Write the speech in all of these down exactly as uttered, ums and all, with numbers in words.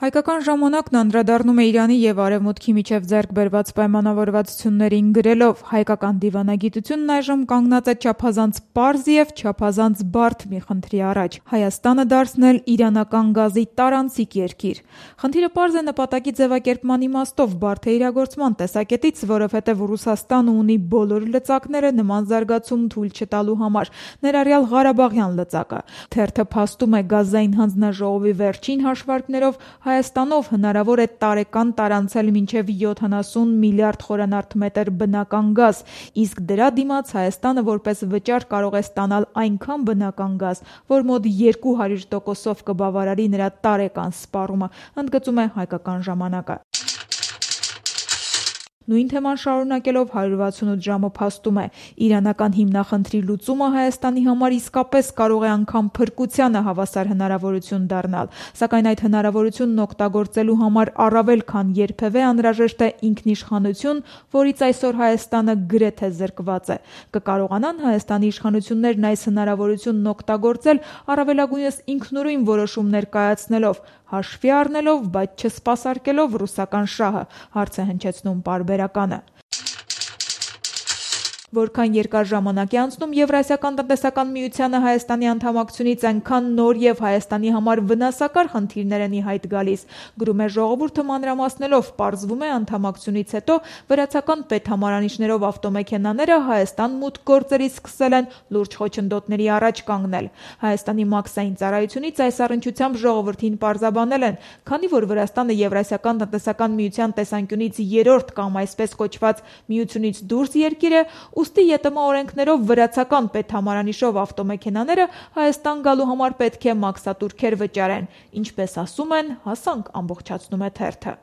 Հայկական ժամանակն անդրադառնում է Իրանի և Արևմուտքի միջև ձեռք բերված պայմանավորվածություններին գրելով. հայկական դիվանագիտությունն այժմ կանգնած է չափազանց պարզ և չափազանց բարդ մի խնդրի առաջ՝ Հայաստանը դարձնել իրանական գազի տարանցիկ երկիր։ Խնդիրը պարզ է նպատակի ձևակերպման իմաստով, բարդ է իրագործման տեսակետից, որովհետև Ռուսաստանը ունի բոլոր լծակները նման զարգացում թույլ չտալու համար, ներառյալ Ղարաբաղյան լծակը։ Թերթը փաստում է գազային հանձնաժողովի վերջին հաշվարկներով Հայաստանով հնարավոր է տարեկան տարանցել մինչև յոթանասուն միլիարդ խորանարդ բնական գազ, իսկ դրա դիմաց Հայաստանը որպես վճար կարող է ստանալ այնքան բնական գազ, որ մոտ երկու հարյուր տոկոսով կբավարարի նրա տարեկան սպառումը, ընդգծում է Հայկական ժամանակը։ Նույն թեման շարունակելով հարյուր վաթսունութ ժամը փաստում է. իրանական հիմնախնդրի լուծումը Հայաստանի համար իսկապես կարող է անգամ փրկությանը հավասար հնարավորություն դառնալ, սակայն այդ հնարավորությունն օգտագործելու համար առավել քան երբևէ անհրաժեշտ է ինքնիշխանություն, որից այսօր Հայաստանը գրեթե զրկված է։ Կկարողանան Հայաստանի իշխանություններն այս հնարավորությունն օգտագործել առավելագույնս ինքնուրույն որոշումներ կայացնելով, հաշվի առնելով, բայց չսպասարկելով ռուսական շահը, հարց է հնչեցնում պարբերականը։ Որքան երկար ժամանակ է անցնում Եվրասիական տնտեսական միությանը Հայաստանի անդամակցությունից, այնքան նոր և Հայաստանի համար վնասակար խնդիրներ են ի հայտ գալիս, գրում է ժողովուրդը մանրամասնելով, պարզվում է անդամակցությունից հետո վրացական պետհամարանիշներով ավտոմեքենաները Հայաստան մուտք գործելիս սկսել են լուրջ խոչընդոտների առաջ կանգնել։ Հայաստանի մաքսային ծառայությունից այս առնչությամբ ժողովրդին պարզաբանել են, քանի որ Վրաստանը Եվրասիական տնտեսական միության տեսանկյունից երրորդ կամ այսպես կոչված միությունից դուրս երկիր է, ուստի ԵՏՄ օրենքներով վրացական պետհամարանիշով ավտոմեքենաները Հայաստան գալու համար պետք է մաքսատուրքեր վճարեն, ինչպես ասում են, հասանք, ամբողջացնում է թերթը։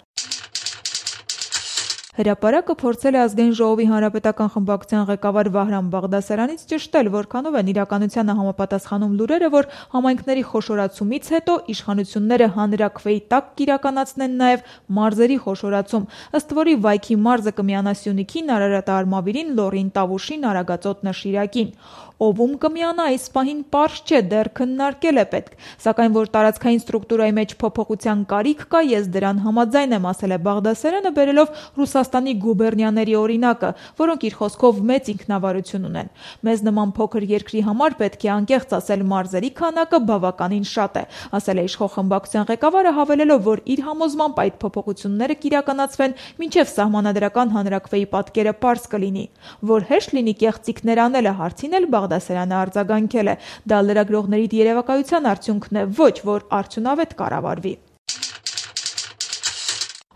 Հրապարակը փորձել է Ազգային ժողովի հանրապետական խմբակցության ղեկավար Վահրամ Բաղդասարյանից ճշտել, որքանով են իրականությանը համապատասխանում լուրերը, որ համայնքների խոշորացումից հետո իշխանությունները հանրաքվեի տակ կիրականացնեն նաև մարզերի խոշորացում, ըստ որի Վայքի մարզը կմիանա Սյունիքին, Արարատ Արմավիրին, Լոռին Տավուշին, Արագածոտնը Շիրակին։ Ով-ում կմիանա, այս պահին պարզ չէ, դեռ քննարկել է պետք, սակայն որ տարածքային ստրուկտուրայի մեջ փոփոխության կարիք կա, ես դրան համաձայն եմ, ասել է Բաղդասարյանը, բերելով Ռուսաստանի գուբերնիաների օրինակը, որոնք իր խոսքով մեծ ինքնավարություն ունեն։ Մեզ նման փոքր երկրի համար պետք է անկեղծ ասել, մարզերի քանակը բավականին շատ է, ասել է իշխող խմբակցության ղեկավարը, հավելելով, որ իր համոզմամբ այդ փոփոխությունները կիրականացվեն մինչև սահմանադրական հանրաքվեի պատկերը պարզ կլինի։ Որ հեշտ լինի կեղծիքներ անելը, հարցին էլ Բաղդասարյանը արձագանքել է. դա լրագրողների երևակայության արդյունքն է, ոչ որ արդյունավետ կառավարվի։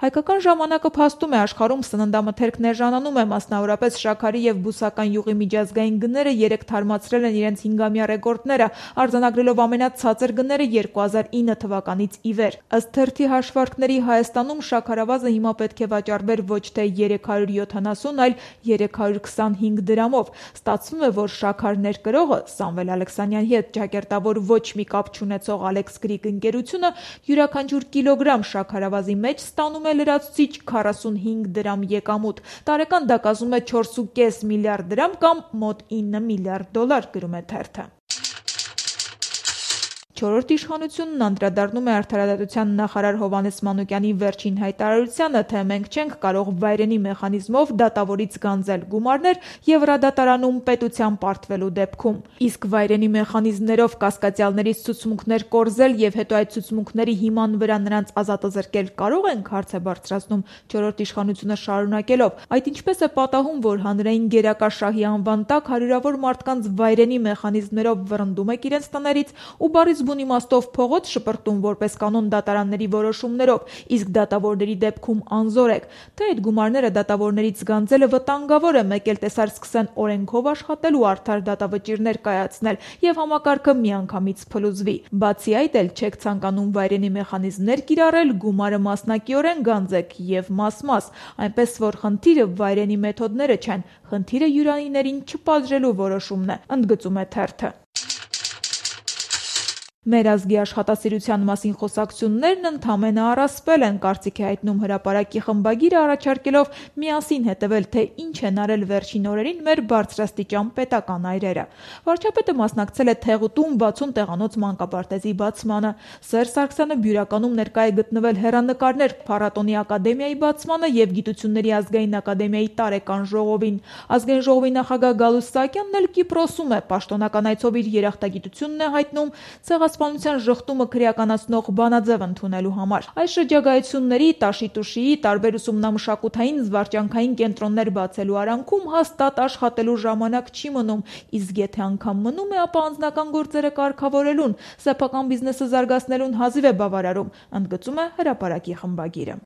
Հայկական ժամանակը փաստում է, աշխարհում սննդամթերքն էժանանում է, մասնավորապես շաքարի և բուսական յուղի միջազգային գները երեկ թարմացրել են իրենց հինգամյա ռեկորդները, արձանագրելով ամենացածր գները երկու հազար ինը թվականից ի վեր։ Ըստ թերթի հաշվարկների Հայաստանում շաքարավազը հիմա պետք է վաճառվեր ոչ թե երեք հարյուր յոթանասուն, այլ երեք հարյուր քսանհինգ դրամով։ Ստացվում է, որ շաքար ներկրողը Սամվել Ալեքսանյանի հետ ջակերտավոր ոչ մի կապ չունեցող Alex Greek ընկերությունը յուրաքանչյուր կիլոգրամ շաքարավազի մեջ ստանում է լրացուցիչ քառասունհինգ դրամ եկամուտ։ Տարեկան դա կազմում է չորս ու կես միլիարդ դրամ կամ մոտ ինը միլիարդ դոլար, գրում է թերթը։ Չորրորդ իշխանությունն անդրադառնում է արդարադատության նախարար Հովհաննես Մանուկյանի վերջին հայտարարությանը, թե մենք չենք կարող վայրենի մեխանիզմով դատավորից գանձել գումարներ Եվրադատարանում պետության պարտվելու դեպքում։ Իսկ վայրենի մեխանիզմներով կասկածյալներից ցուցմունքներ կորզել և հետո այդ ցուցմունքների հիման վրա նրանց ազատազրկել կարող ենք, հարց է բարձրացնում չորրորդ իշխանությունը շարունակելով. այդ ինչպես է պատահում, որ հանրային գերակաշահի անվան տակ հարյուրավոր մարդկանց վայրենի մեխանիզմներով վռնդում եք իրենց տներից ու բառից բուն իմաստով փողոց շպրտում որպես կանոն դատարանների որոշումներով, իսկ դատավորների դեպքում անզոր եք, թե այդ գումարները դատավորներից գանձելը վտանգավոր է, մեկ էլ տեսար սկսեն օրենքով աշխատել ու արդար դատավճիռներ կայացնել և համակարգը միանգամից փլուզվի։ Բացի այդ էլ չեք ցանկանում վայրենի մեխանիզմներ կիրառել, գումարը մասնակիորեն գանձեք և մաս-մաս, այնպես որ խնդիրը վայրենի մեթոդները չեն, խնդիրը յուրանիներին չպատժելու որոշումն է, ընդգծում է թերթը։ Մեր ազգի աշխատասիրության մասին խոսակցություններն ընդամենը առասպել են, կարծիք է հայտնում հրապարակի խմբագիրը, առաջարկելով միասին հետևել, թե ինչ են արել վերջին օրերին մեր բարձրաստիճան պետական այրերը։ Վարչապետը մասնակցել է Թեղուտում բացուն տեղանոց մանկապարտեզի բացմանը։ Սերժ Սարգսյանը Բյուրականում ներկա է գտնվել հեռանկարներ փառատոնի ակադեմիայի բացմանը և Գիտությունների ազգային ակադեմիայի տարեկան ժողովին։ Ազգային ժողովի նախագահ Գալուստ Սահակյանն էլ Կիպրոսում է, պաշտոնական այցով իր երախտագիտությունն է հայտնում ցեղասպանության ժխտումը քրեականացնող բանաձև ընդունելու համար։ Այս շրջագայությունների, տաշի-տուշիի, տարբեր ուսումնամշակութային, զվարճանքային կենտրոններ բացելու արանքում հաստատ աշխատելու ժամանակ չի մնում, իսկ եթե անգամ մնում է, ապա անձնական գործերը կարգավորելուն, սեփական բիզնեսը զարգացնելուն հազիվ է բավարարում, ընդգծում է հրապարակի խմբագիրը։